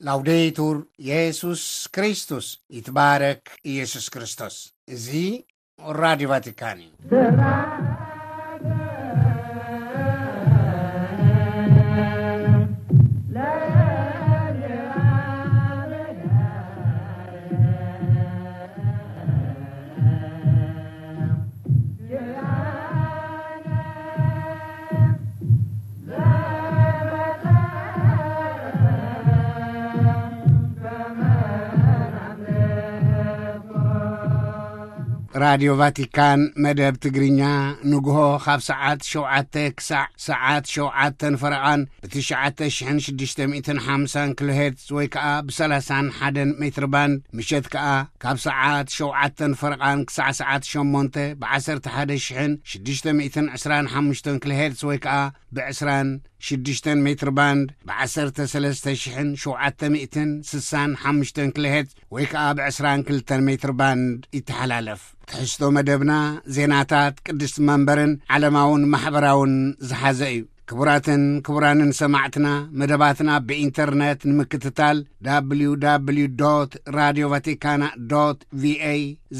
ላውዴቱር ኢየሱስ ክርስቶስ፣ ይትባረክ ኢየሱስ ክርስቶስ። እዚ ራዲዮ ቫቲካን እዩ። ራዲዮ ቫቲካን መደብ ትግርኛ ንግሆ ካብ ሰዓት ሸውዓተ ክሳዕ ሰዓት ሸውዓተን ፈረቓን ብትሽዓተ ሽሕን ሽዱሽተ ሚእትን ሓምሳን ኪሎ ሄርትዝ ወይ ከኣ ብሰላሳን ሓደን ሜትር ባንድ፣ ምሸት ከኣ ካብ ሰዓት ሸውዓተን ፈረቓን ክሳዕ ሰዓት ሸሞንተ ብዓሰርተ ሓደ ሽሕን ሽዱሽተ ሚእትን ዕስራን ሓሙሽተን ኪሎ ሄርትዝ ወይ ከኣ ብዕስራን ሽዱሽተን ሜትር ባንድ ብዓሰርተ ሰለስተ ሽሕን ሸውዓተ ሚእትን ስሳን ሓሙሽተን ኪሎ ሄርትዝ ወይ ከኣ ብዕስራን ክልተን ሜትር ባንድ ይተሓላለፍ። ትሕዝቶ መደብና ዜናታት ቅድስቲ መንበርን ዓለማውን ማሕበራውን ዝሓዘ እዩ። ክቡራትን ክቡራንን ሰማዕትና፣ መደባትና ብኢንተርነት ንምክትታል፣ www radio vaticana ቪኤ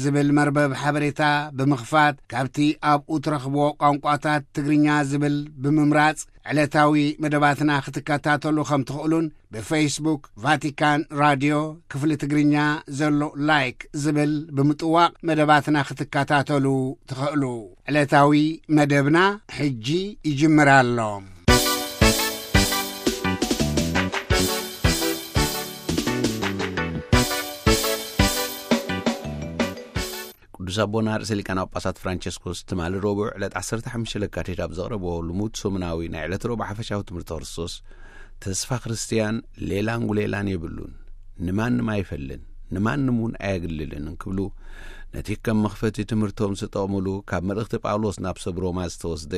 ዝብል መርበብ ሓበሬታ ብምኽፋት፣ ካብቲ ኣብኡ ትረኽብዎ ቋንቋታት ትግርኛ ዝብል ብምምራጽ ዕለታዊ መደባትና ክትከታተሉ ከም ትኽእሉን፣ ብፌስቡክ ቫቲካን ራድዮ ክፍሊ ትግርኛ ዘሎ ላይክ ዝብል ብምጥዋቕ መደባትና ክትከታተሉ ትኽእሉ። ዕለታዊ መደብና ሕጂ ይጅምር ኣሎ። ቅዱስ ኣቦና ርእሰ ሊቃነ ጳጳሳት ፍራንቸስኮስ ትማሊ ረቡዕ ዕለት ዓሰርተ ሓሙሽተ ለካቲት ኣብ ዘቕረብዎ ልሙድ ሰሙናዊ ናይ ዕለት ረቡዕ ሓፈሻዊ ትምህርቲ ክርስቶስ፣ ተስፋ ክርስትያን ሌላን ጉሌላን የብሉን፣ ንማንም ኣይፈልን፣ ንማንም እውን ኣየግልልን እንክብሉ፣ ነቲ ከም መኽፈቲ ትምህርቶም ዝጠቕሙሉ ካብ መልእኽቲ ጳውሎስ ናብ ሰብ ሮማ ዝተወስደ፣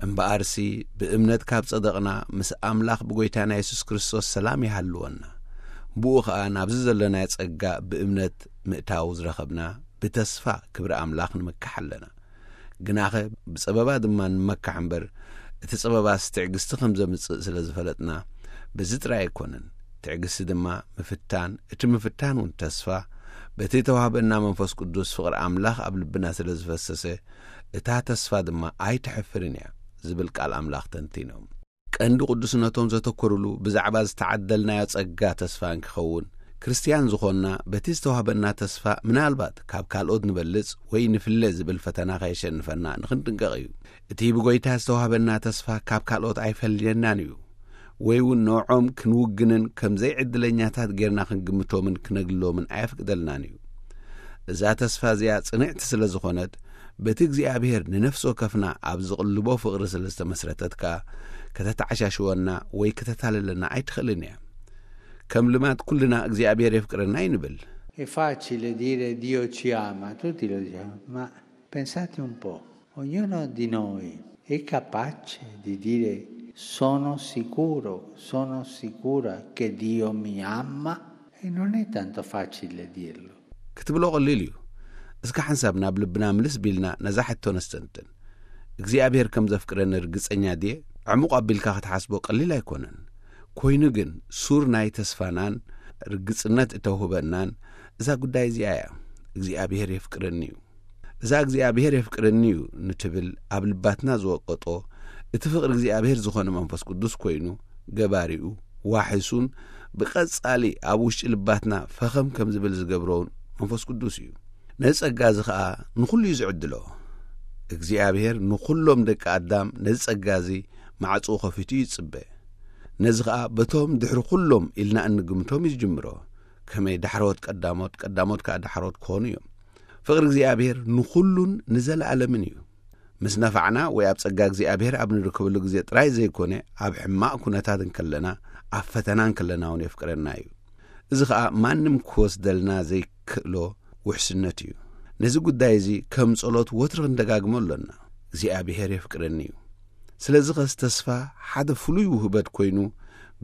እምበኣርሲ ብእምነት ካብ ጸደቕና፣ ምስ ኣምላኽ ብጎይታና የሱስ ክርስቶስ ሰላም ይሃልወና። ብኡ ኸኣ ናብዚ ዘለናዮ ጸጋ ብእምነት ምእታው ዝረኸብና፣ ብተስፋ ክብሪ ኣምላኽ ንምካሕ ኣለና። ግናኸ ብጸበባ ድማ ንመካሕ እምበር፣ እቲ ጸበባስ ትዕግስቲ ከም ዘምጽእ ስለ ዝፈለጥና፣ በዚ ጥራይ ኣይኮነን። ትዕግስቲ ድማ ምፍታን፣ እቲ ምፍታን እውን ተስፋ፣ በቲ እተዋህበና መንፈስ ቅዱስ ፍቕሪ ኣምላኽ ኣብ ልብና ስለ ዝፈሰሰ፣ እታ ተስፋ ድማ ኣይተሕፍርን እያ ዝብል ቃል ኣምላኽ ተንቲኖም። ቀንዲ ቅዱስነቶም ዘተኮሩሉ ብዛዕባ ዝተዓደልናዮ ጸጋ ተስፋ እንክኸውን፣ ክርስትያን ዝኾንና በቲ ዝተዋህበና ተስፋ ምናልባት ካብ ካልኦት ንበልጽ ወይ ንፍለ ዝብል ፈተና ከየሸንፈና ንኽንጥንቀቕ እዩ። እቲ ብጎይታ ዝተዋህበና ተስፋ ካብ ካልኦት ኣይፈልየናን እዩ፣ ወይ እውን ንዕኦም ክንውግንን ከም ዘይዕድለኛታት ጌርና ክንግምቶምን ክነግልሎምን ኣየፍቅደልናን እዩ። እዛ ተስፋ እዚኣ ጽንዕቲ ስለ ዝኾነት፣ በቲ እግዚኣብሔር ንነፍሲ ወከፍና ኣብ ዝቕልቦ ፍቕሪ ስለ ዝተመስረተት ከኣ፣ ከተተዓሻሽወና ወይ ከተታልለና ኣይትኽእልን እያ። ከም ልማድ ኩልና እግዚኣብሔር የፍቅረና እዩ ንብል። È facile dire Dio ci ama, tutti lo diciamo, ma pensate un po', ognuno di noi è capace di dire: "Sono sicuro, sono sicura che Dio mi ama"? E non è tanto facile dirlo. ክትብሎ ቀሊል እዩ። እስከ ሓንሳብ ናብ ልብና ምልስ ቢልና ነዛ ሕቶ ነስተንትን። እግዚኣብሔር ከም ዘፍቅረኒ ርግጸኛ ድየ? ዕሙቕ ኣቢልካ ክትሓስቦ ቀሊል ኣይኮነን። ኮይኑ ግን ሱር ናይ ተስፋናን ርግጽነት እተውህበናን እዛ ጉዳይ እዚኣ እያ። እግዚኣብሔር የፍቅረኒ እዩ። እዛ እግዚኣብሔር የፍቅረኒ እዩ ንትብል ኣብ ልባትና ዝወቀጦ፣ እቲ ፍቕሪ እግዚኣብሔር ዝኾነ መንፈስ ቅዱስ ኮይኑ፣ ገባሪኡ፣ ዋሕሱን ብቐጻሊ ኣብ ውሽጢ ልባትና ፈኸም ከም ዝብል ዝገብሮውን መንፈስ ቅዱስ እዩ። ነዚ ጸጋ እዚ ኸኣ ንኹሉ እዩ ዝዕድሎ። እግዚኣብሔር ንኹሎም ደቂ ኣዳም ነዚ ጸጋ እዚ ማዕጽኡ ከፊቱ ይጽበ። ነዚ ኸኣ በቶም ድሕሪ ኩሎም ኢልና እንግምቶም እዩ ዝጅምሮ። ከመይ ዳሕሮት ቀዳሞት፣ ቀዳሞት ከኣ ዳሕሮት ክኾኑ እዮም። ፍቕሪ እግዚኣብሔር ንኹሉን ንዘለኣለምን እዩ። ምስ ነፋዕና ወይ ኣብ ጸጋ እግዚኣብሔር ኣብ ንርከበሉ ግዜ ጥራይ ዘይኮነ፣ ኣብ ሕማቕ ኩነታት እንከለና፣ ኣብ ፈተና እንከለና እውን የፍቅረና እዩ። እዚ ኸኣ ማንም ክወስደልና ዘይክእሎ ውሕስነት እዩ። ነዚ ጉዳይ እዚ ከም ጸሎት ወትሩ ክንደጋግሞ ኣሎና። እግዚኣብሔር የፍቅረኒ እዩ። ስለዚ ኸስ ተስፋ ሓደ ፍሉይ ውህበት ኮይኑ፣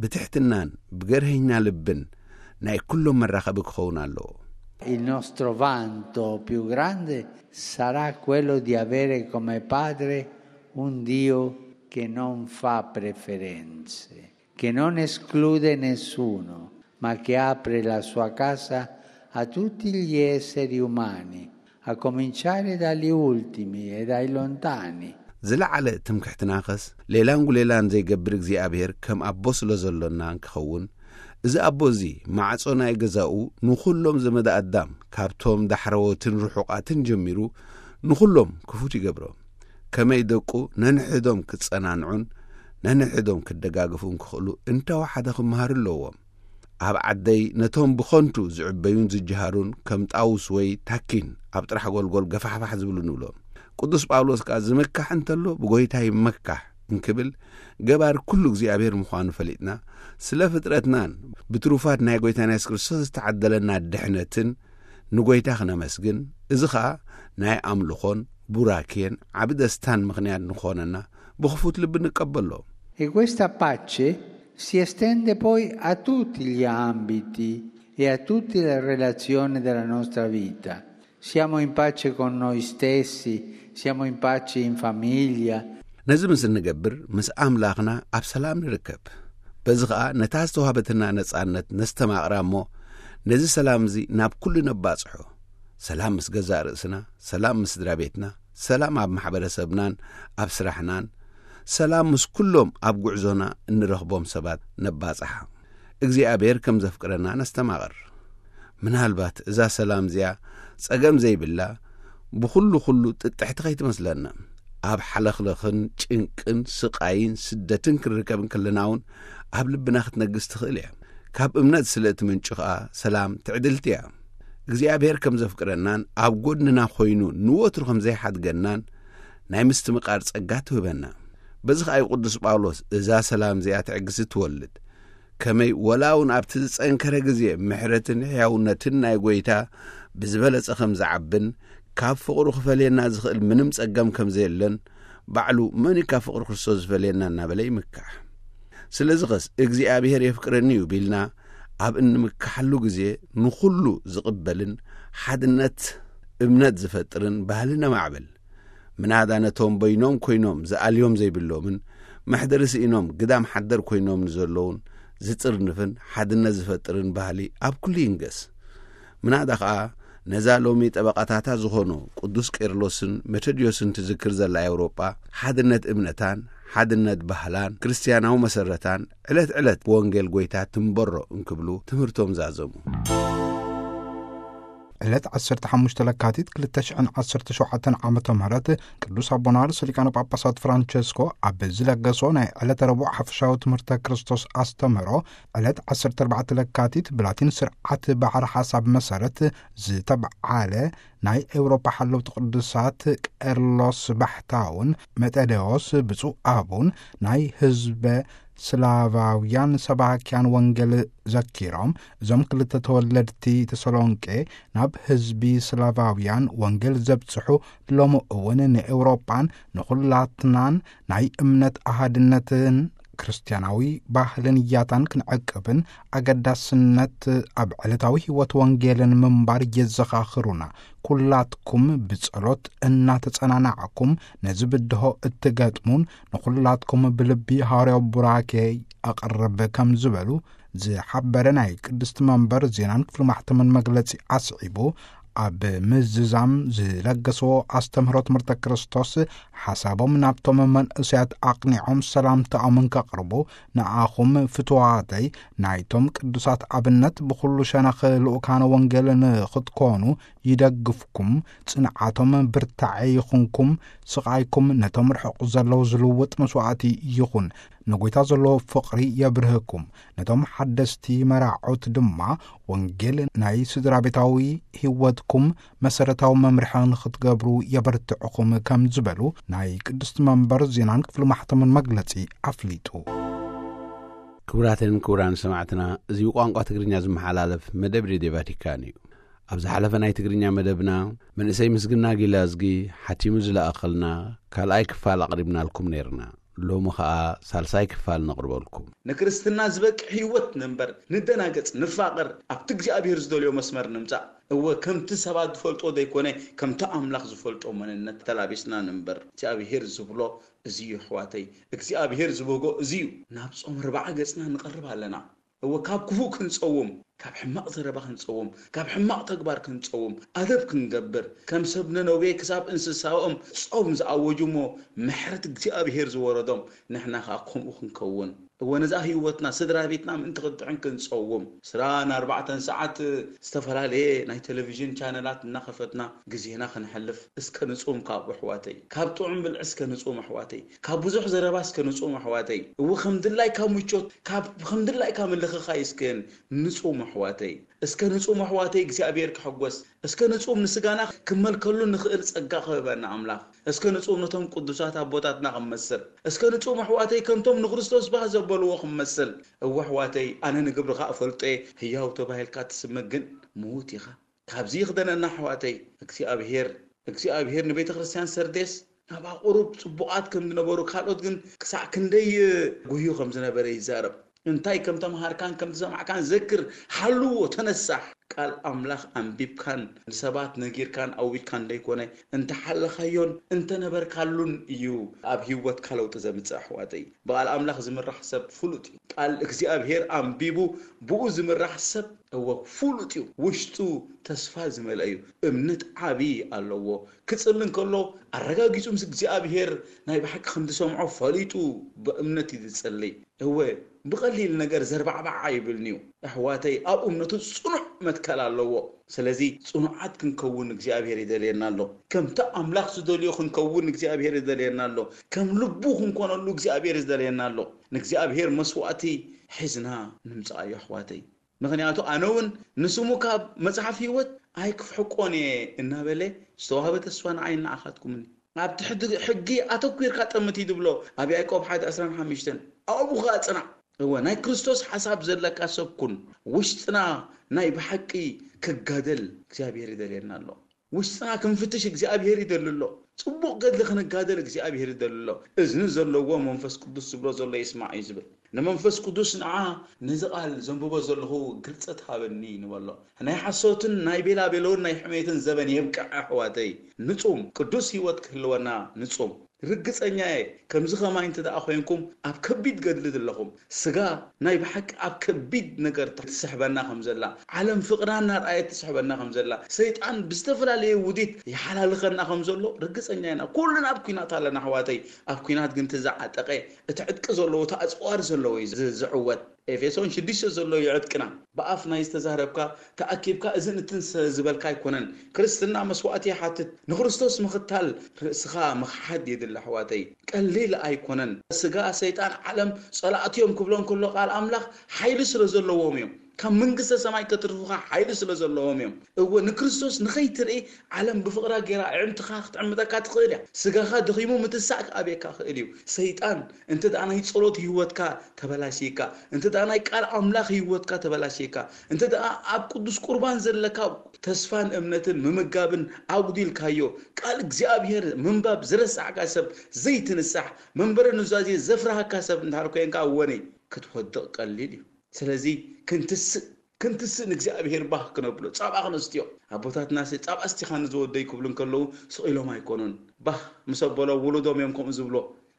ብትሕትናን ብገርሀኛ ልብን ናይ ኩሎም መራኸቢ ክኸውን ኣለዎ። Il nostro vanto più grande sarà quello di avere come padre un Dio che non fa preferenze, che non esclude nessuno, ma che apre la sua casa a tutti gli esseri umani, a cominciare dagli ultimi e dai lontani. ዝለዓለ ትምክሕትናኸስ ሌላን ጉሌላን ዘይገብር እግዚኣብሔር ከም ኣቦ ስለ ዘሎና እንክኸውን፣ እዚ ኣቦ እዚ ማዕጾ ናይ ገዛኡ ንኹሎም ዘመደ ኣዳም ካብቶም ዳሕረዎትን ርሑቓትን ጀሚሩ ንኹሎም ክፉት ይገብሮም። ከመይ ደቁ ነንሕዶም ክጸናንዑን ነንሕዶም ክደጋግፉን ክኽእሉ እንተወሓደ ክመሃሩ ኣለዎም። ኣብ ዓደይ ነቶም ብኸንቱ ዝዕበዩን ዝጀሃሩን ከም ጣውስ ወይ ታኪን ኣብ ጥራሕ ጎልጎል ገፋሕፋሕ ዝብሉ ንብሎም። ቅዱስ ጳውሎስ ከኣ ዝምካሕ እንተሎ ብጎይታ ይመካሕ እንክብል ገባር ኩሉ እግዚኣብሔር ምዃኑ ፈሊጥና ስለ ፍጥረትናን ብትሩፋት ናይ ጎይታና የሱስ ክርስቶስ ዝተዓደለና ድሕነትን ንጎይታ ክነመስግን፣ እዚ ኸኣ ናይ ኣምልኾን ቡራኬን ዓቢ ደስታን ምኽንያት ንኾነና ብኽፉት ልቢ ንቀበሎ። E questa pace si estende poi a tutti gli ambiti e a tutte le relazioni della nostra vita. Siamo in pace con noi stessi, siamo in pace in famiglia. ነዚ ምስ እንገብር ምስ ኣምላኽና ኣብ ሰላም ንርከብ። በዚ ኸኣ ነታ ዝተዋህበትና ነጻነት ነስተማቕራ እሞ ነዚ ሰላም እዚ ናብ ኩሉ ነባጽሖ። ሰላም ምስ ገዛእ ርእስና፣ ሰላም ምስ ስድራ ቤትና፣ ሰላም ኣብ ማሕበረሰብናን ኣብ ስራሕናን፣ ሰላም ምስ ኩሎም ኣብ ጉዕዞና እንረኽቦም ሰባት ነባጽሓ። እግዚኣብሔር ከም ዘፍቅረና ነስተማቕር። ምናልባት እዛ ሰላም እዚኣ ጸገም ዘይብላ ብኹሉ ኩሉ ጥጥሕቲ ከይትመስለና። ኣብ ሓለኽለኽን ጭንቅን ስቓይን ስደትን ክንርከብ እንከለና እውን ኣብ ልብና ክትነግስ ትኽእል እያ። ካብ እምነት ስለ እትምንጩ ኸኣ ሰላም ትዕድልቲ እያ። እግዚኣብሔር ከም ዘፍቅረናን ኣብ ጎድንና ኮይኑ ንወትሩ ከም ዘይሓድገናን ናይ ምስትምቓር ጸጋ ትህበና። በዚ ኸኣ እዩ ቅዱስ ጳውሎስ እዛ ሰላም እዚኣ ትዕግስቲ ትወልድ። ከመይ ወላ እውን ኣብቲ ዝጸንከረ ግዜ ምሕረትን ሕያውነትን ናይ ጎይታ ብዝበለጸ ከም ዝዓብን ካብ ፍቕሩ ክፈልየና ዝኽእል ምንም ጸገም ከም ዘየለን ባዕሉ መን እዩ ካብ ፍቕሪ ክርስቶስ ዝፈልየና እናበለ ይምካሕ። ስለዚ ኸስ እግዚኣብሔር የፍቅረኒ እዩ ቢልና ኣብ እንምካሓሉ ግዜ ንኹሉ ዝቕበልን ሓድነት እምነት ዝፈጥርን ባህሊ ነማዕብል። ምናዳ ነቶም በይኖም ኮይኖም ዝኣልዮም ዘይብሎምን መሕደሪ ስኢኖም ግዳም ሓደር ኮይኖም ንዘለውን ዝጥርንፍን ሓድነት ዝፈጥርን ባህሊ ኣብ ኩሉ ይንገስ። ምናዳ ኸኣ ነዛ ሎሚ ጠበቓታታ ዝኾኑ ቅዱስ ቄርሎስን መተድዮስን ትዝክር ዘላ ኤውሮጳ ሓድነት እምነታን ሓድነት ባህላን ክርስትያናዊ መሰረታን ዕለት ዕለት ብወንጌል ጎይታ ትንበሮ እንክብሉ ትምህርቶም ዛዘሙ። ዕለት ዓሰርተ ሓሙሽተ ለካቲት ክልተ ሽሕን ዓሰርተ ሸውዓተን ዓመተ ምህረት ቅዱስ ኣቦና ርእሰ ሊቃነ ጳጳሳት ፍራንቸስኮ ኣብ ዝለገሶ ናይ ዕለተ ረቡዕ ሓፈሻዊ ትምህርተ ክርስቶስ ኣስተምህሮ ዕለት ዓሰርተ ኣርባዕተ ለካቲት ብላቲን ስርዓት ባሕሪ ሓሳብ መሰረት ዝተብዓለ ናይ ኤውሮፓ ሓለውቲ ቅዱሳት ቄርሎስ ባሕታውን መጠደዎስ ብፁዕ ኣቡን ናይ ህዝበ ስላቫውያን ሰባኪያን ወንጌል ዘኪሮም፣ እዞም ክልተ ተወለድቲ ተሰሎንቄ ናብ ህዝቢ ስላቫውያን ወንጌል ዘብጽሑ፣ ሎሚ እውን ንኤውሮጳን ንኹላትናን ናይ እምነት ኣሃድነትን ክርስትያናዊ ባህልን ያታን ክንዕቅብን ኣገዳስነት ኣብ ዕለታዊ ህይወት ወንጌልን ምንባር የዘኻኽሩና። ኩላትኩም ብጸሎት እናተጸናናዕኩም ነዚ ብድሆ እትገጥሙን ንኹላትኩም ብልቢ ሃዋርያዊ ቡራኬ ኣቕርብ ከም ዝበሉ ዝሓበረ ናይ ቅድስቲ መንበር ዜናን ክፍሊ ማሕተምን መግለጺ ኣስዒቡ፣ ኣብ ምዝዛም ዝለገስዎ ኣስተምህሮ ትምህርተ ክርስቶስ ሓሳቦም ናብቶም መንእሰያት ኣቕኒዖም ሰላምታኦምን ከቕርቡ፣ ንኣኹም ፍትዋተይ ናይቶም ቅዱሳት ኣብነት ብኹሉ ሸነኽ ልኡካነ ወንጌል ንኽትኮኑ ይደግፍኩም፣ ጽንዓቶም ብርታዐ ይኹንኩም፣ ስቓይኩም ነቶም ርሑቕ ዘለዉ ዝልውጥ መስዋዕቲ ይኹን፣ ንጎይታ ዘለዎ ፍቕሪ የብርህኩም፣ ነቶም ሓደስቲ መራዖት ድማ ወንጌል ናይ ስድራ ቤታዊ ህይወትኩም መሰረታዊ መምርሒ ንኽትገብሩ የበርትዕኹም ከም ዝበሉ ናይ ቅድስቲ መንበር ዜናን ክፍሊ ማሕተምን መግለጺ ኣፍሊጡ። ክቡራትን ክቡራን ሰማዕትና፣ እዚ ብቋንቋ ትግርኛ ዝመሓላለፍ መደብ ሬድዮ ቫቲካን እዩ። ኣብ ዝሓለፈ ናይ ትግርኛ መደብና መንእሰይ ምስግና ጊላዝጊ ሓቲሙ ዝለኣኸልና ካልኣይ ክፋል ኣቕሪብናልኩም ነይርና። ሎሚ ኸኣ ሳልሳይ ክፋል ነቕርበልኩም። ንክርስትና ዝበቅዕ ህይወት ንንበር፣ ንደናገጽ፣ ንፋቐር፣ ኣብቲ እግዚኣብሔር ዝደልዮ መስመር ንምጻእ። እወ፣ ከምቲ ሰባት ዝፈልጦ ዘይኮነ፣ ከምቲ ኣምላኽ ዝፈልጦ መንነት ተላቢስና ንንበር። እግዚኣብሔር ዝብሎ እዚ እዩ፣ ኣሕዋተይ። እግዚኣብሔር ዝበጎ እዚ እዩ። ናብ ጾም ኣርብዓ ገጽና ንቐርብ ኣለና። እወ፣ ካብ ክፉእ ክንጸውም፣ ካብ ሕማቕ ዘረባ ክንጸውም፣ ካብ ሕማቕ ተግባር ክንጸውም፣ ኣደብ ክንገብር፣ ከም ሰብ ነነዌ ክሳብ እንስሳኦም ጾም ዝኣወጁ እሞ፣ ምሕረት እግዚኣብሄር ዝወረዶም፣ ንሕና ኸኣ ከምኡ ክንከውን። እወ፣ ነዛ ህይወትና፣ ስድራ ቤትና ምእንቲ ክድሕን ክንጸውም፣ ዕስራን ኣርባዕተን ሰዓት ዝተፈላለየ ናይ ቴሌቪዥን ቻነላት እናኸፈትና ግዜና ከነሕልፍ እስከ ንጹም፣ ካብ ኣሕዋተይ፣ ካብ ጥዑም ብልዒ እስከ ንጹም ኣሕዋተይ፣ ካብ ብዙሕ ዘረባ እስከ ንጹም ኣሕዋተይ። እወ፣ ከም ድላይካ ምቾት፣ ካብ ከም ድላይካ ምልኽኻይ እስከ ንጹም ኣሕዋተይ። እስከ ንጹም ኣሕዋተይ እግዚኣብሔር ክሕጎስ፣ እስከ ንጹም ንስጋና ክመልከሉ ንኽእል ጸጋ ክህበና ኣምላኽ። እስከ ንጹም ነቶም ቅዱሳት ኣቦታትና ክንመስል፣ እስከ ንጹም ኣሕዋተይ ከምቶም ንክርስቶስ ባህ ዘበልዎ ክንመስል። እወ ኣሕዋተይ፣ ኣነ ንግብርኻ እፈልጦ እየ፣ ህያው ተባሂልካ ትስመ ግን ምዉት ኢኻ። ካብዚ ይኽደነና ኣሕዋተይ። እግዚኣብሔር እግዚኣብሔር ንቤተ ክርስቲያን ሰርዴስ፣ ናብኣ ቁሩብ ጽቡቓት ከም ዝነበሩ፣ ካልኦት ግን ክሳዕ ክንደይ ጉህዩ ከም ዝነበረ ይዛረብ። እንታይ ከም ተምሃርካን ከም ዝሰማዕካን ዘክር፣ ሓልዎ፣ ተነሳሕ። ቃል ኣምላኽ ኣንቢብካን ንሰባት ነጊርካን ኣውጅካን ደይኮነ፣ እንተሓለኻዮን እንተነበርካሉን እዩ ኣብ ህይወትካ ለውጢ ዘምጽእ ኣሕዋተይ። ብቓል ኣምላኽ ዝምራሕ ሰብ ፍሉጥ እዩ። ቃል እግዚኣብሔር ኣንቢቡ ብኡ ዝምራሕ ሰብ እወ ፍሉጥ እዩ። ውሽጡ ተስፋ ዝመልአ እዩ። እምነት ዓቢ ኣለዎ። ክጽሊ እንከሎ ኣረጋጊጹ ምስ እግዚኣብሔር ናይ ብሓቂ ከም ዝሰምዖ ፈሊጡ ብእምነት እዩ ዝጽሊ። እወ ብቐሊል ነገር ዘርባዕባዕ ኣይብልን እዩ። ኣሕዋተይ ኣብ እምነቱ ጽኑዕ መትከል ኣለዎ። ስለዚ ጽኑዓት ክንከውን እግዚኣብሔር ይደልየና ኣሎ። ከምቲ ኣምላኽ ዝደልዮ ክንከውን እግዚኣብሔር ይደልየና ኣሎ። ከም ልቡ ክንኮነሉ እግዚኣብሔር ይደልየና ኣሎ። ንእግዚኣብሔር መስዋእቲ ሒዝና ንምጽኣዮ ኣሕዋተይ። ምኽንያቱ ኣነ እውን ንስሙ ካብ መጽሓፍ ህይወት ኣይክፍሕቆን እየ እናበለ ዝተዋህበ ተስፋ ንዓይ ንዓኻትኩምን ኣብቲ ሕጊ ኣተኲርካ ጠምት እዩ ዝብሎ ኣብ ያዕቆብ ሓደ ዕስራን ሓሙሽተን። ኣብኡ ኸኣ ጽናዕ። እወ ናይ ክርስቶስ ሓሳብ ዘለካ ሰብ ኩን። ውሽጥና ናይ ብሓቂ ክጋደል እግዚኣብሔር ይደልየና ኣሎ። ውሽጥና ክንፍትሽ እግዚኣብሔር ይደሊ ኣሎ። ጽቡቕ ገድሊ ክንጋደል እግዚኣብሔር ይደሊ ኣሎ። እዝኒ ዘለዎ መንፈስ ቅዱስ ዝብሎ ዘሎ ይስማዕ እዩ ዝብል። ንመንፈስ ቅዱስ ንዓ ነዚ ቓል ዘንብቦ ዘለኹ ግልጸት ሃበኒ ንበሎ። ናይ ሓሶትን ናይ ቤላቤሎን ናይ ሕሜትን ዘበን የብቅዕ ኣሕዋተይ። ንጹም ቅዱስ ህይወት ክህልወና ንጹም። ርግጸኛ እየ ከምዚ ኸማይ እንተ ደኣ ኾይንኩም ኣብ ከቢድ ገድሊ ዘለኹም። ስጋ ናይ ብሓቂ ኣብ ከቢድ ነገር ትስሕበና ከም ዘላ፣ ዓለም ፍቕራ እናርኣየት ትስሕበና ከም ዘላ፣ ሰይጣን ብዝተፈላለየ ውዲት ይሓላልኸና ከም ዘሎ ርግጸኛ ኢና። ኩልና ኣብ ኲናት ኣለና ኣሕዋተይ። ኣብ ኲናት ግን እቲ ዝዓጠቐ፣ እቲ ዕጥቂ ዘለዎ፣ እቲ ኣጽዋር ዘለዎ እዩ ዝ- ዝዕወት። ኤፌሶን ሽዱሽተ ዘሎ እዩ ዕጥቅና። ብኣፍ ናይ ዝተዛረብካ ተኣኪብካ እዝን እትን ስ- ዝበልካ ኣይኮነን። ክርስትና መስዋእቲ ይሓትት። ንክርስቶስ ምኽታል ርእስኻ ምኽሓድ የድሊ ኣሕዋተይ። ቀሊል ኣይኮነን። ስጋ ሰይጣን ዓለም ጸላእቲ እዮም ክብሎ እንከሎ ቃል ኣምላኽ ሓይሊ ስለ ዘለዎም እዮም። ካብ መንግስተ ሰማይ ከትርፉኻ ሓይሊ ስለ ዘለዎም እዮም። እወ ንክርስቶስ ንኸይትርኢ ዓለም ብፍቕራ ጌራ ኣዕንትኻ ክትዕምጠካ ትኽእል እያ። ስጋኻ ደኺሙ ምትሳእ ክኣብየካ ክእል እዩ። ሰይጣን እንተ ደኣ ናይ ጸሎት ህይወትካ ተበላሽካ፣ እንተ ደኣ ናይ ቃል ኣምላኽ ህይወትካ ተበላሽካ፣ እንተ ደኣ ኣብ ቅዱስ ቁርባን ዘለካ ተስፋን እምነትን ምምጋብን ኣጉዲልካዮ፣ ቃል እግዚኣብሔር ምንባብ ዝረሳዕካ ሰብ ዘይትንሳሕ፣ መንበረ ኑዛዜ ዘፍርሃካ ሰብ እንድሕር ኮይንካ እወኒ ክትወድቕ ቀሊል እዩ። ስለዚ ክንትስእ ክንትስእ ንእግዚኣብሔር ባህ ክነብሎ ጻባ ክነስትዮ። ኣቦታትና ሲ ጻባ እስቲኻኒ ዝወደይ ክብሉ እንከለዉ ስቕ ኢሎም ኣይኮኑን። ባህ ምስ ኣበሎ ውሉዶም እዮም ከምኡ ዝብሎ።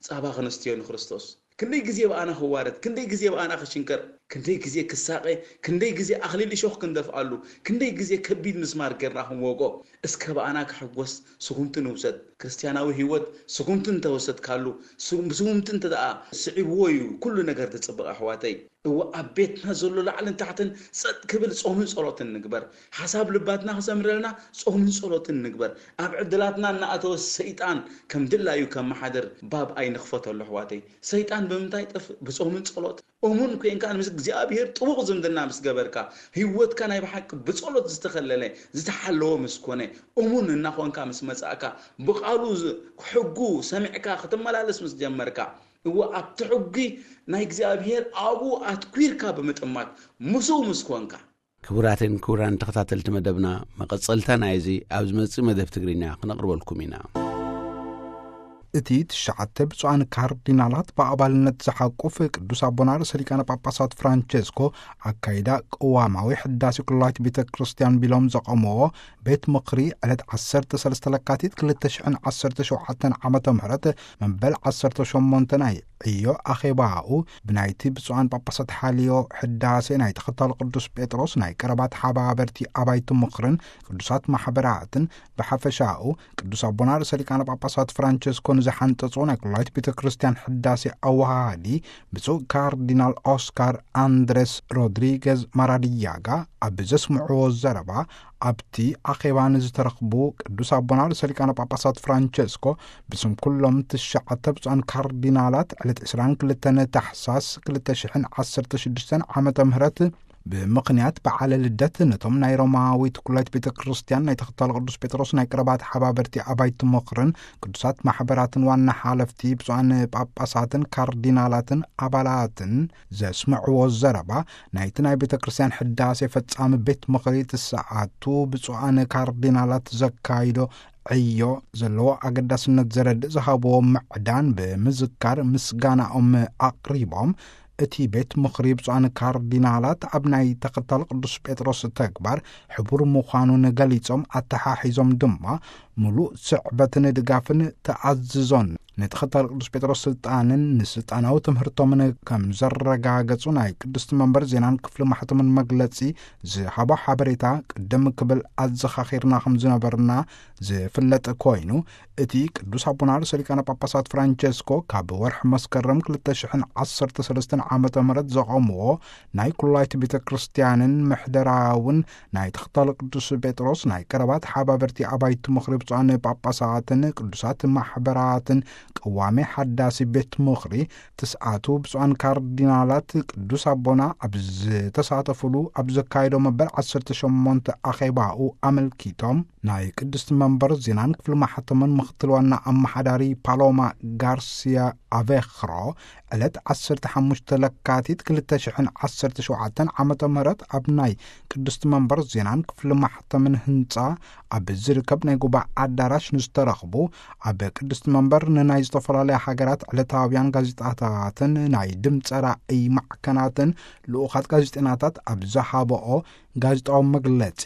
ጻባ ክነስትዮ ንክርስቶስ። ክንደይ ግዜ ብኣና ክዋረድ፣ ክንደይ ግዜ ብኣና ክሽንከር፣ ክንደይ ግዜ ክሳቐ፣ ክንደይ ግዜ ኣኽሊል እሾኽ ክንደፍኣሉ፣ ክንደይ ግዜ ከቢድ ምስማር ጌርና ክንወግኦ። እስከ ብኣና ክሕጎስ ስጉምቲ ንውሰድ። ክርስትያናዊ ህይወት ስጉምቲ እንተወሰድካሉ፣ ስጉምቲ እንተ ደኣ ስዒብዎ እዩ ኩሉ ነገር ዝጽብቕ ኣሕዋተይ። እወ ኣብ ቤትና ዘሎ ላዕልን ታሕትን ጸጥ ክብል ጾምን ጸሎትን ንግበር። ሓሳብ ልባትና ክሰምረልና ጾምን ጸሎትን ንግበር። ኣብ ዕድላትና እናኣተወ ሰይጣን ከም ድላዩ ከመሓድር ባብ ኣይንኽፈተሉ ኣሕዋተይ። ሰይጣን ብምንታይ ይጠፍእ? ብጾምን ጸሎት። እሙን ኮይንካ ምስ እግዚኣብሔር ጥቡቕ ዝምድና ምስ ገበርካ፣ ህይወትካ ናይ ብሓቂ ብጸሎት ዝተኸለለ ዝተሓለወ ምስ ኮነ፣ እሙን እናኾንካ ምስ መጻእካ፣ ብቓሉ ሕጉ ሰሚዕካ ክትመላለስ ምስ ጀመርካ፣ እወ ኣብቲ ሕጊ ናይ እግዚኣብሔር ኣብኡ ኣትኲርካ ብምጥማት ምስኡ ምስ ኮንካ። ክቡራትን ክቡራን ተኸታተልቲ መደብና፣ መቐጸልታ ናይዚ ኣብ ዝመጽእ መደብ ትግርኛ ክነቕርበልኩም ኢና። እቲ ትሽዓተ ብፁዓን ካርዲናላት ብኣባልነት ዝሓቁፍ ቅዱስ ኣቦና ርእሰ ሊቃነ ጳጳሳት ፍራንቸስኮ ኣካይዳ ቅዋማዊ ሕዳሴ ኩላይት ቤተ ክርስቲያን ቢሎም ዘቐምዎ ቤት ምኽሪ ዕለት ዓሰርተ ሰለስተ ለካቲት ክልተ ሽሕን ዓሰርተ ሸውዓተን ዓመተ ምህረት መበል ዓሰርተ ሸሞንተ ናይ ዕዮ ኣኼባኡ ብናይቲ ብፁዓን ጳጳሳት ሓልዮ ሕዳሴ ናይ ተኸታሊ ቅዱስ ጴጥሮስ ናይ ቀረባት ሓባበርቲ ኣባይቲ ምኽርን ቅዱሳት ማሕበራትን ብሓፈሻኡ ቅዱስ ኣቦና ርእሰ ሊቃነ ጳጳሳት ፍራንቸስኮ ንዝሓንጸጾ ናይ ኩላይት ቤተ ክርስቲያን ሕዳሴ ኣወሃሃዲ ብፁዕ ካርዲናል ኦስካር ኣንድሬስ ሮድሪገዝ ማራዲያጋ ኣብ ዘስምዕዎ ዘረባ፣ ኣብቲ ኣኼባ ንዝተረኽቡ ቅዱስ ኣቦና ርእሰ ሊቃነ ጳጳሳት ፍራንቸስኮ ብስም ኩሎም ትሽዓተ ብፁዓን ካርዲናላት ዕለት ዕስራን ክልተን ታሕሳስ ክልተ ሽሕን ዓሰርተ ሽዱሽተን ዓመተ ምህረት ብምኽንያት በዓለ ልደት ነቶም ናይ ሮማዊት ኩላይት ቤተ ክርስቲያን ናይ ተኸታሊ ቅዱስ ጴጥሮስ ናይ ቀረባት ሓባበርቲ ኣባይቲ ምኽርን ቅዱሳት ማሕበራትን ዋና ሓለፍቲ ብፁዓን ጳጳሳትን ካርዲናላትን ኣባላትን ዘስምዕዎ ዘረባ፣ ናይቲ ናይ ቤተ ክርስቲያን ሕዳሴ ፈጻሚ ቤት ምኽሪ ትስዓቱ ብፁዓን ካርዲናላት ዘካይዶ ዕዮ ዘለዎ ኣገዳስነት ዘረድእ ዝሃብዎ ምዕዳን ብምዝካር ምስጋናኦም ኣቕሪቦም፣ እቲ ቤት ምኽሪ ብፁዓን ካርዲናላት ኣብ ናይ ተኸታሊ ቅዱስ ጴጥሮስ ተግባር ሕቡር ምዃኑን ገሊጾም፣ ኣተሓሒዞም ድማ ምሉእ ስዕበትን ድጋፍን ተኣዝዞን ንተኸታሊ ቅዱስ ጴጥሮስ ስልጣንን ንስልጣናዊ ትምህርቶምን ከም ዘረጋገጹ ናይ ቅድስቲ መንበር ዜናን ክፍሊ ማሕተምን መግለጺ ዝሃቦ ሓበሬታ ቅድም ክብል ኣዘኻኺርና ከም ዝነበርና ዝፍለጥ ኮይኑ፣ እቲ ቅዱስ ኣቦና ርእሰ ሊቃነ ጳጳሳት ፍራንቸስኮ ካብ ወርሒ መስከረም ክልተ ሽሕን ዓሰርተ ሰለስተን ዓመተ ምህረት ዘቐምዎ ናይ ኩላይት ቤተ ክርስቲያንን ምሕደራውን ናይ ተኸታሊ ቅዱስ ጴጥሮስ ናይ ቀረባት ሓባበርቲ ኣባይቲ ምኽሪ ብፁዓን ጳጳሳትን ቅዱሳት ማሕበራትን ቀዋሚ ሓዳሲ ቤት ምኽሪ ትስዓቱ ብፁዓን ካርዲናላት ቅዱስ ኣቦና ኣብ ዝተሳተፉሉ ኣብ ዘካየዶ መበል ዓሰርተ ሸሞንተ ኣኼባኡ ኣመልኪቶም ናይ ቅድስቲ መንበር ዜናን ክፍሊ ማሕተምን ምኽትል ዋና ኣመሓዳሪ ፓሎማ ጋርሲያ ኣቬኽሮ ዕለት ዓሰርተ ሓሙሽተ ለካቲት ክልተ ሽሕን ዓሰርተ ሸውዓተን ዓመተ ምህረት ኣብ ናይ ቅድስቲ መንበር ዜናን ክፍሊ ማሕተምን ህንጻ ኣብ ዝርከብ ናይ ጉባኤ ኣዳራሽ ንዝተረኽቡ ኣብ ቅድስቲ መንበር ንናይ ዝተፈላለያ ሃገራት ዕለታውያን ጋዜጣታትን ናይ ድምፀ ራእይ ማዕከናትን ልኡኻት ጋዜጠናታት ኣብ ዝሃበኦ ጋዜጣዊ መግለጺ፣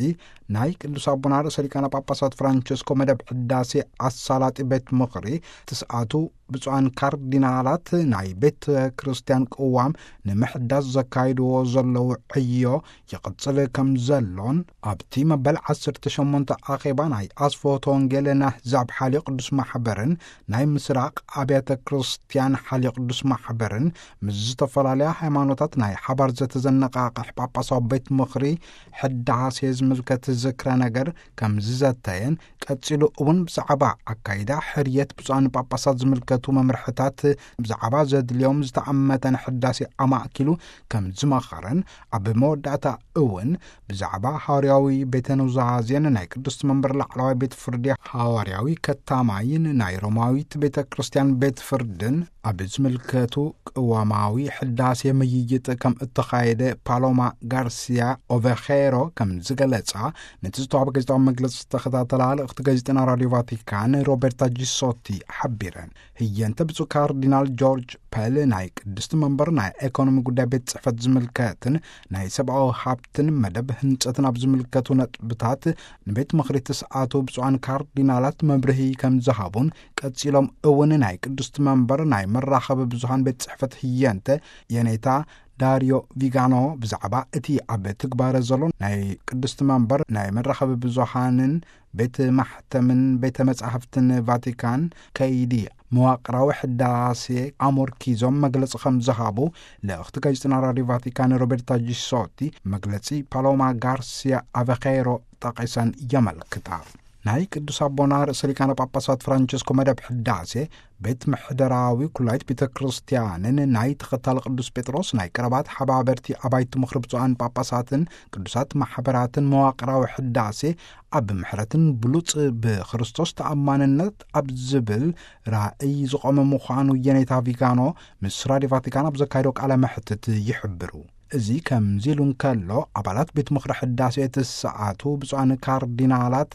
ናይ ቅዱስ ኣቦና ርእሰ ሊቃነ ጳጳሳት ፍራንቸስኮ መደብ ሕዳሴ ኣሳላጢ ቤት ምኽሪ ትስኣቱ ብፁዓን ካርዲናላት ናይ ቤተ ክርስቲያን ቅዋም ንምሕዳስ ዘካይድዎ ዘለዉ ዕዮ ይቕጽል ከም ዘሎን፣ ኣብቲ መበል ዓሰርተ ሸሞንተ ኣኼባ ናይ ኣስፍሆተ ወንጌል ናህዛብ ሓልዮ ቅዱስ ማሕበርን ናይ ምስራቕ ኣብያተ ክርስቲያን ሓልዮ ቅዱስ ማሕበርን ምስ ዝተፈላለያ ሃይማኖታት ናይ ሓባር ዘተ ዘነቓቕሕ ጳጳሳዊ ቤት ምኽሪ ሕዳሴ ዝምልከት ዝክረ ነገር ከም ዝዘተየን፣ ቀጺሉ እውን ብዛዕባ ኣካይዳ ሕርየት ብፁዓን ጳጳሳት ዝምልከቱ መምርሕታት ብዛዕባ ዘድልዮም ዝተኣመተን ሕዳሴ ኣማእኪሉ ከም ዝመኸረን፣ ኣብ መወዳእታ እውን ብዛዕባ ሃዋርያዊ ቤተ ኑዛዜን ናይ ቅድስቲ መንበር ላዕለዋይ ቤት ፍርዲ ሃዋርያዊ ከታማይን ናይ ሮማዊት ቤተ ክርስቲያን ቤት ፍርድን ኣብ ዝምልከቱ ቅዋማዊ ሕዳሴ ምይይጥ ከም እተኻየደ ፓሎማ ጋርሲያ ኦቬኼሮ ከም ዝገለጻ፣ ነቲ ዝተዋህበ ጋዜጣዊ መግለጺ ዝተኸታተላ ልእኽቲ ጋዜጠና ራድዮ ቫቲካን ሮቤርታ ጂሶቲ ሓቢረን። ህየንተ ብፁዕ ካርዲናል ጆርጅ ፐል ናይ ቅድስቲ መንበር ናይ ኤኮኖሚ ጉዳይ ቤት ጽሕፈት ዝምልከትን ናይ ሰብኣዊ ሃብትን መደብ ህንጸትን ኣብ ዝምልከቱ ነጥብታት ንቤት ምኽሪ ትስኣቱ ብፁዓን ካርዲናላት መብርሂ ከም ዝሃቡን፣ ቀጺሎም እውን ናይ ቅድስቲ መንበር ናይ መራኸቢ ብዙሃን ቤት ጽሕፈት ህየንተ የኔታ ዳርዮ ቪጋኖ ብዛዕባ እቲ ኣብ ትግባረ ዘሎ ናይ ቅድስቲ መንበር ናይ መራኸቢ ብዙሃንን ቤት ማሕተምን ቤተ መጻሕፍትን ቫቲካን ከይዲ መዋቕራዊ ሕዳሴ ኣሞርኪዞም መግለጺ ከም ዝሃቡ ልእኽቲ ጋዜጠና ራድዮ ቫቲካን ሮቤርታ ጂሶቲ መግለጺ ፓሎማ ጋርሲያ ኣቨኼሮ ጠቒሰን የመልክታ። ናይ ቅዱስ ኣቦና ርእሰ ሊቃነ ጳጳሳት ፍራንቸስኮ መደብ ሕዳሴ ቤት ምሕደራዊ ኩላይት ቤተ ክርስቲያንን ናይ ተኸታሊ ቅዱስ ጴጥሮስ ናይ ቀረባት ሓባበርቲ ኣባይቲ ምኽሪ ብፁዓን ጳጳሳትን ቅዱሳት ማሕበራትን መዋቕራዊ ሕዳሴ ኣብ ምሕረትን ብሉጽ ብክርስቶስ ተኣማንነት ኣብ ዝብል ራእይ ዝቖመ ምዃኑ የኔታ ቪጋኖ ምስ ራድዮ ቫቲካን ኣብ ዘካየዶ ቃለ መሕትት ይሕብሩ። እዚ ከምዚ ኢሉ እንከሎ፣ ኣባላት ቤት ምኽሪ ሕዳሴ እቲ ሰዓቱ ብፁዓን ካርዲናላት፣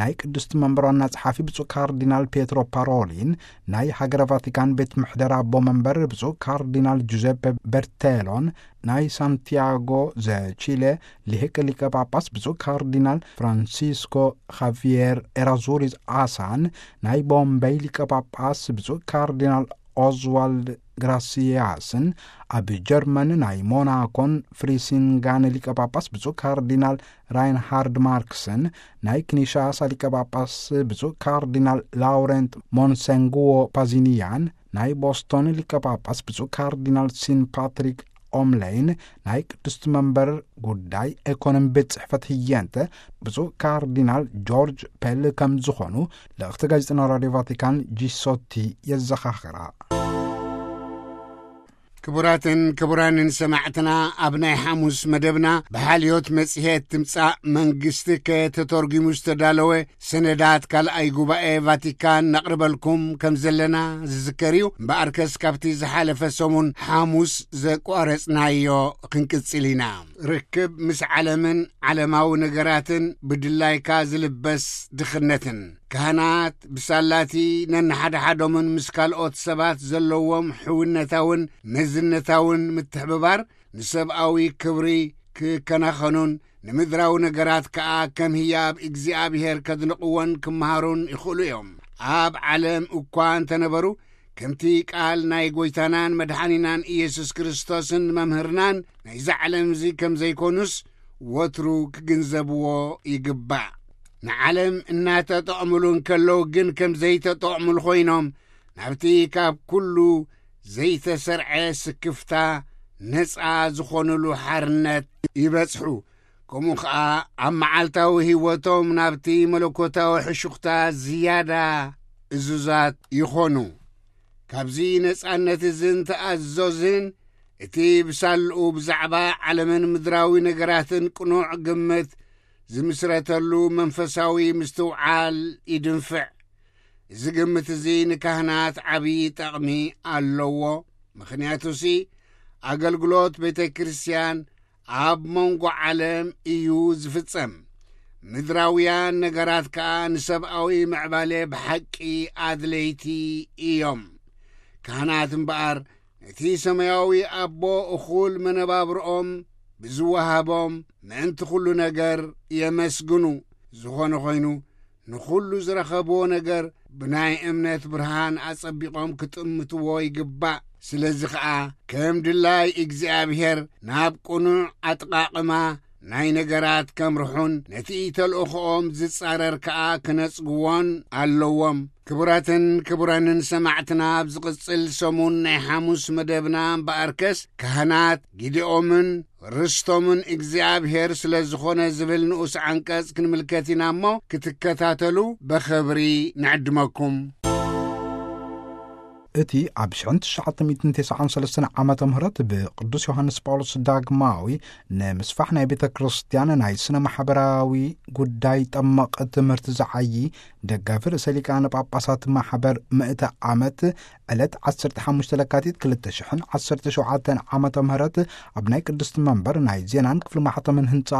ናይ ቅድስቲ መንበር ዋና ጸሓፊ ብፁዕ ካርዲናል ፔትሮ ፓሮሊን፣ ናይ ሃገረ ቫቲካን ቤት ምሕደራ ኣቦ መንበር ብፁዕ ካርዲናል ጁዘፔ በርቴሎን፣ ናይ ሳንቲያጎ ዘቺሌ ሊቅ ሊቀ ጳጳስ ብፁዕ ካርዲናል ፍራንሲስኮ ኻቪየር ኤራዙሪዝ ኣሳን፣ ናይ ቦምበይ ሊቀ ጳጳስ ብፁዕ ካርዲናል ኦዝዋልድ ግራሲያስን፣ ኣብ ጀርመን ናይ ሞናኮን ፍሪሲንጋን ሊቀ ጳጳስ ብፁዕ ካርዲናል ራይንሃርድ ማርክስን፣ ናይ ኪንሻሳ ሊቀ ጳጳስ ብፁዕ ካርዲናል ላውረንት ሞንሰንጉዎ ፓዚኒያን፣ ናይ ቦስቶን ሊቀ ጳጳስ ብፁዕ ካርዲናል ሲን ፓትሪክ ኦምለይን፣ ናይ ቅድስቲ መንበር ጉዳይ ኤኮኖሚ ቤት ጽሕፈት ህየንተ ብፁዕ ካርዲናል ጆርጅ ፔል ከም ዝኾኑ ልእኽቲ ጋዜጠና ራድዮ ቫቲካን ጂሶቲ የዘኻኽራ። ክቡራትን ክቡራንን ሰማዕትና፣ ኣብ ናይ ሓሙስ መደብና ብሓልዮት መጽሔት ትምጻእ መንግስቲ ከተተርጒሙ ዝተዳለወ ሰነዳት ካልኣይ ጉባኤ ቫቲካን ነቕርበልኩም ከም ዘለና ዝዝከር እዩ። እምበኣርከስ ካብቲ ዝሓለፈ ሰሙን ሓሙስ ዘቋረጽናዮ ክንቅጽል ኢና። ርክብ ምስ ዓለምን ዓለማዊ ነገራትን ብድላይካ ዝልበስ ድኽነትን። ካህናት ብሳላቲ ነንሓድሓዶምን ምስ ካልኦት ሰባት ዘለዎም ሕውነታውን መዝነታውን ምትሕብባር ንሰብኣዊ ክብሪ ክከናኸኑን ንምድራዊ ነገራት ከኣ ከም ህያብ እግዚኣብሔር ከድንቕዎን ክመሃሩን ይኽእሉ እዮም። ኣብ ዓለም እኳ እንተነበሩ፣ ከምቲ ቃል ናይ ጐይታናን መድሓኒናን ኢየሱስ ክርስቶስን መምህርናን ናይዛ ዓለም እዚ ከም ዘይኮኑስ ወትሩ ክግንዘብዎ ይግባእ። ንዓለም እናተጠቕሙሉ እንከለዉ ግን ከም ዘይተጠቕሙሉ ኮይኖም ናብቲ ካብ ኩሉ ዘይተሰርዐ ስክፍታ ነጻ ዝኾኑሉ ሓርነት ይበጽሑ። ከምኡ ኸኣ ኣብ መዓልታዊ ህይወቶም ናብቲ መለኮታዊ ሕሹኽታ ዝያዳ እዙዛት ይኾኑ። ካብዚ ነጻነት እዝን ተኣዘዝን እቲ ብሳልኡ ብዛዕባ ዓለምን ምድራዊ ነገራትን ቅኑዕ ግምት ዝምስረተሉ መንፈሳዊ ምስትውዓል ይድንፍዕ። እዚ ግምት እዚ ንካህናት ዓብዪ ጠቕሚ ኣለዎ። ምኽንያቱሲ ኣገልግሎት ቤተ ክርስቲያን ኣብ መንጎ ዓለም እዩ ዝፍጸም። ምድራውያን ነገራት ከኣ ንሰብኣዊ ምዕባለ ብሓቂ ኣድለይቲ እዮም። ካህናት እምበኣር ነቲ ሰማያዊ ኣቦ እኹል መነባብርኦም ብዝወሃቦም ምእንቲ ኩሉ ነገር የመስግኑ። ዝኾነ ኾይኑ ንኹሉ ዝረኸብዎ ነገር ብናይ እምነት ብርሃን ኣጸቢቖም ክጥምትዎ ይግባእ። ስለዚ ኸኣ ከም ድላይ እግዚኣብሔር ናብ ቅኑዕ ኣጠቓቕማ ናይ ነገራት ከምርሑን ነቲ ተልእኾኦም ዝጻረር ከኣ ክነጽግዎን ኣለዎም። ክቡራትን ክቡራንን ሰማዕትና፣ ኣብ ዝቕጽል ሰሙን ናይ ሓሙስ መደብና እምበኣርከስ ካህናት ጊደኦምን ርስቶምን እግዚኣብሔር ስለ ዝኾነ ዝብል ንኡስ ዓንቀጽ ክንምልከት ኢና እሞ ክትከታተሉ በኸብሪ ንዕድመኩም። እቲ ኣብ ሽሕን ትሽዓተ ሚእትን ተስዓን ሰለስተን ዓመተ ምህረት ብቅዱስ ዮሃንስ ጳውሎስ ዳግማዊ ንምስፋሕ ናይ ቤተ ክርስቲያን ናይ ስነ ማሕበራዊ ጉዳይ ጠመቕ ትምህርቲ ዝዓዪ ደጋፊ ርእሰ ሊቃነ ጳጳሳት ማሕበር ምእተ ዓመት ዕለት ዓሰርተ ሓሙሽተ ለካቲት ክልተ ሽሕን ዓሰርተ ሸውዓተን ዓመተ ምህረት ኣብ ናይ ቅድስቲ መንበር ናይ ዜናን ክፍሊ ማሕተምን ህንጻ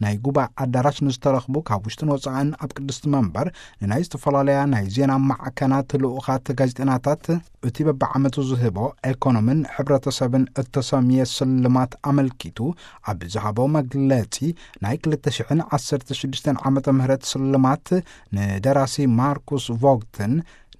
ናይ ጉባኤ ኣዳራሽ ንዝተረኽቡ ካብ ውሽጥን ወጻእን ኣብ ቅድስቲ መንበር ንናይ ዝተፈላለያ ናይ ዜና ማዕከናት ልኡኻት ጋዜጠናታት እቲ በብዓመቱ ዝህቦ ኤኮኖምን ሕብረተሰብን እተሰምየ ስልማት ኣመልኪቱ ኣብ ዝሃቦ መግለጺ ናይ ክልተ ሽሕን ዓሰርተ ሽዱሽተን ዓመተ ምህረት ስልማት ንደራሲ ማርኩስ ቮግትን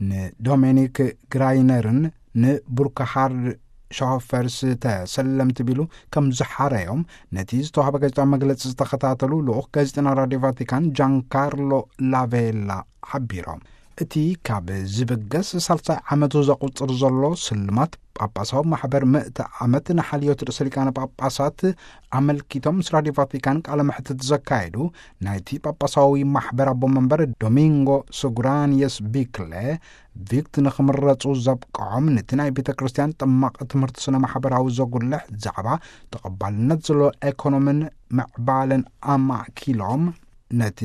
ንዶሜኒክ ግራይነርን ንቡርክሃርድ ሻውፈርስ ተሰለምቲ ቢሉ ከም ዝሓረዮም ነቲ ዝተዋህበ ጋዜጣዊ መግለጺ ዝተኸታተሉ ልኡኽ ጋዜጠና ራድዮ ቫቲካን ጃንካርሎ ላቬላ ሓቢሮም። እቲ ካብ ዝብገስ ሳልሳይ ዓመቱ ዘቑጽር ዘሎ ስልማት ጳጳሳዊ ማሕበር ምእተ ዓመት ንሓልዮት ርእሰ ሊቃነ ጳጳሳት ኣመልኪቶም ምስ ራድዮ ቫቲካን ቃለ መሕትት ዘካየዱ ናይቲ ጳጳሳዊ ማሕበር ኣቦ መንበር ዶሚንጎ ሱግራንየስ ቢክለ ቪክት ንኽምረጹ ዘብቅዖም ነቲ ናይ ቤተ ክርስቲያን ጠማቕ ትምህርቲ ስነ ማሕበራዊ ዘጉልሕ ዛዕባ ተቐባልነት ዘለዎ ኤኮኖምን ምዕባለን ኣማእኪሎም ነቲ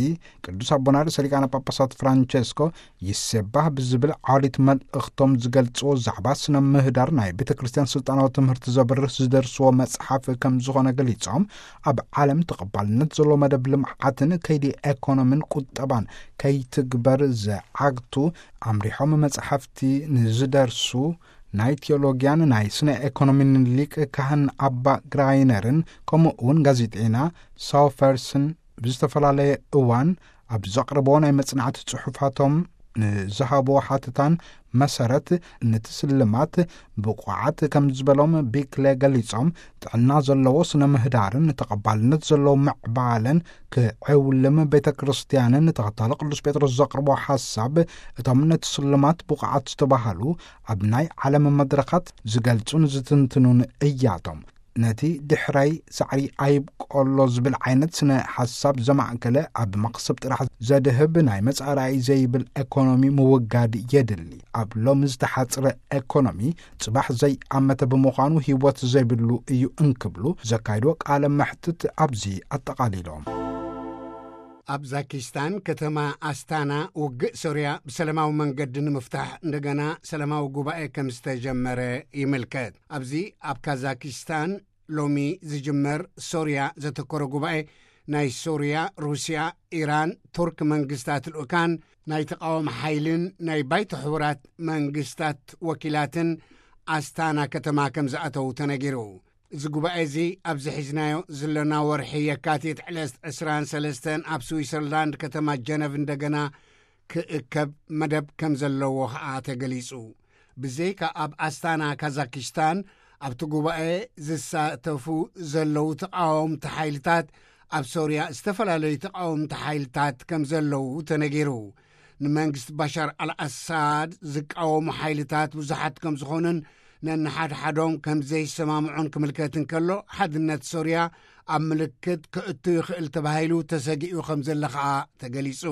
ቅዱስ ኣቦና ርእሰ ሊቃነ ጳጳሳት ፍራንቸስኮ ይሴባህ ብዝብል ዓሊት መልእኽቶም ዝገልጽዎ ዛዕባ ስነ ምህዳር ናይ ቤተ ክርስቲያን ስልጣናዊ ትምህርቲ ዘብርህ ዝደርስዎ መጽሓፍ ከም ዝኾነ ገሊጾም፣ ኣብ ዓለም ተቐባልነት ዘለዎ መደብ ልምዓትን ከይዲ ኤኮኖሚን ቁጠባን ከይትግበር ዝዓግቱ ኣምሪሖም መጽሓፍቲ ንዝደርሱ ናይ ቴዎሎጊያን ናይ ስነ ኤኮኖሚን ሊቅ ካህን ኣባ ግራይነርን ከምኡ እውን ጋዜጠይና ሳውፈርስን ብዝተፈላለየ እዋን ኣብ ዘቕርቦ ናይ መጽናዕቲ ጽሑፋቶም ንዝሃቦ ሓተታን መሰረት፣ ነቲ ስልማት ብቑዓት ከም ዝበሎም ቢክለ ገሊጾም፣ ጥዕና ዘለዎ ስነ ምህዳርን ተቐባልነት ዘለዎ ምዕባለን ክዕውልም ቤተ ክርስቲያንን ተኸታሊ ቅዱስ ጴጥሮስ ዘቕርቦ ሓሳብ፣ እቶም ነቲ ስልማት ብቑዓት ዝተባህሉ ኣብ ናይ ዓለም መድረኻት ዝገልጹን ዝትንትኑን እያቶም። ነቲ ድሕራይ ሳዕሪ ኣይብቆሎ ዝብል ዓይነት ስነ ሓሳብ ዘማእከለ፣ ኣብ መኽሰብ ጥራሕ ዘድህብ ናይ መጻኢ ራእይ ዘይብል ኤኮኖሚ ምውጋድ የድሊ። ኣብ ሎሚ ዝተሓጽረ ኤኮኖሚ ጽባሕ ዘይኣመተ ብምዃኑ ህይወት ዘይብሉ እዩ እንክብሉ ዘካይድዎ ቃለ መሕትት ኣብዚ ኣጠቓሊሎም። ኣብ ዛኪስታን ከተማ ኣስታና ውግእ ሶርያ ብሰላማዊ መንገዲ ንምፍታሕ እንደገና ሰላማዊ ጉባኤ ከም ዝተጀመረ ይምልከት። ኣብዚ ኣብ ካዛኪስታን ሎሚ ዝጅመር ሶርያ ዘተኮረ ጉባኤ ናይ ሶርያ፣ ሩስያ፣ ኢራን፣ ቱርክ መንግስታት ልኡካን ናይ ተቃወም ሓይልን ናይ ባይቶ ሕቡራት መንግስታት ወኪላትን ኣስታና ከተማ ከም ዝኣተው ተነጊሩ። እዚ ጉባኤ እዚ ኣብዚ ሒዝናዮ ዘለና ወርሒ የካቲት ዕለት ዕስራን ሰለስተን ኣብ ስዊሰርላንድ ከተማ ጀነቭ እንደገና ክእከብ መደብ ከም ዘለዎ ኸኣ ተገሊጹ። ብዘይካ ኣብ ኣስታና ካዛኪስታን ኣብቲ ጉባኤ ዝሳተፉ ዘለዉ ተቃወምቲ ሓይልታት፣ ኣብ ሶርያ ዝተፈላለዩ ተቃወምቲ ሓይልታት ከም ዘለዉ ተነጊሩ። ንመንግስቲ ባሻር ኣልኣሳድ ዝቃወሙ ሓይልታት ብዙሓት ከም ዝኾኑን ነንሓድሓዶም ከም ዘይሰማምዑን ክምልከት እንከሎ፣ ሓድነት ሶርያ ኣብ ምልክት ክእቱ ይኽእል ተባሂሉ ተሰጊኡ ከም ዘሎ ኸኣ ተገሊጹ።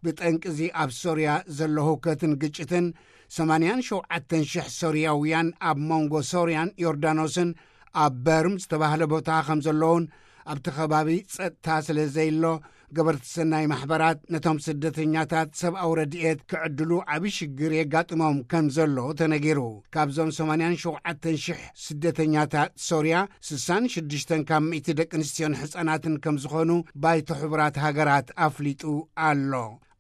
ብጠንቅዚ ኣብ ሶርያ ዘሎ ህውከትን ግጭትን ሰማንያን ሸውዓተን ሽሕ ሶርያውያን ኣብ መንጎ ሶርያን ዮርዳኖስን ኣብ በርም ዝተባህለ ቦታ ከም ዘለውን ኣብቲ ከባቢ ጸጥታ ስለ ዘይሎ ገበርቲ ሰናይ ማሕበራት ነቶም ስደተኛታት ሰብኣዊ ረድኤት ክዕድሉ ዓቢ ሽግር የጋጥሞም ከም ዘሎ ተነጊሩ። ካብዞም ሰማንያን ሸውዓተን ሽሕ ስደተኛታት ሶርያ፣ ስሳን ሽዱሽተን ካብ ሚእቲ ደቂ ኣንስትዮን ሕጻናትን ከም ዝኾኑ ባይቶ ሕቡራት ሃገራት ኣፍሊጡ ኣሎ።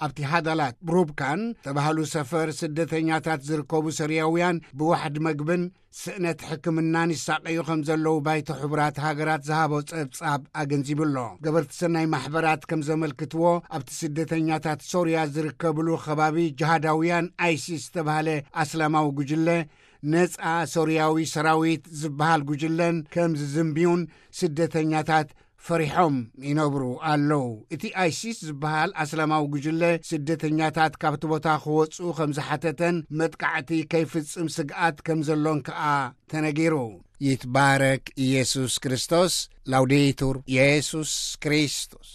ኣብቲ ሃዳላት ብሩብካን ተባህሉ ሰፈር ስደተኛታት ዝርከቡ ሶርያውያን ብዋሕዲ መግብን ስእነት ሕክምናን ይሳቀዩ ከም ዘለዉ ባይቶ ሕቡራት ሃገራት ዝሃቦ ጸብጻብ ኣገንዚቡ ኣሎ። ገበርቲ ሰናይ ማሕበራት ከም ዘመልክትዎ፣ ኣብቲ ስደተኛታት ሶርያ ዝርከብሉ ከባቢ ጅሃዳውያን ኣይሲስ ዝተባህለ ኣስላማዊ ጉጅለ፣ ነጻ ሶርያዊ ሰራዊት ዝበሃል ጉጅለን ከም ዝዝንብዩን ስደተኛታት ፈሪሖም ይነብሩ ኣለዉ። እቲ ኣይሲስ ዝበሃል ኣስላማዊ ጉጅለ ስደተኛታት ካብቲ ቦታ ክወጽኡ ከም ዝሓተተን መጥቃዕቲ ከይፍጽም ስግኣት ከም ዘሎን ከኣ ተነጊሩ። ይትባረክ ኢየሱስ ክርስቶስ። ላውዴቱር ኢየሱስ ክርስቶስ።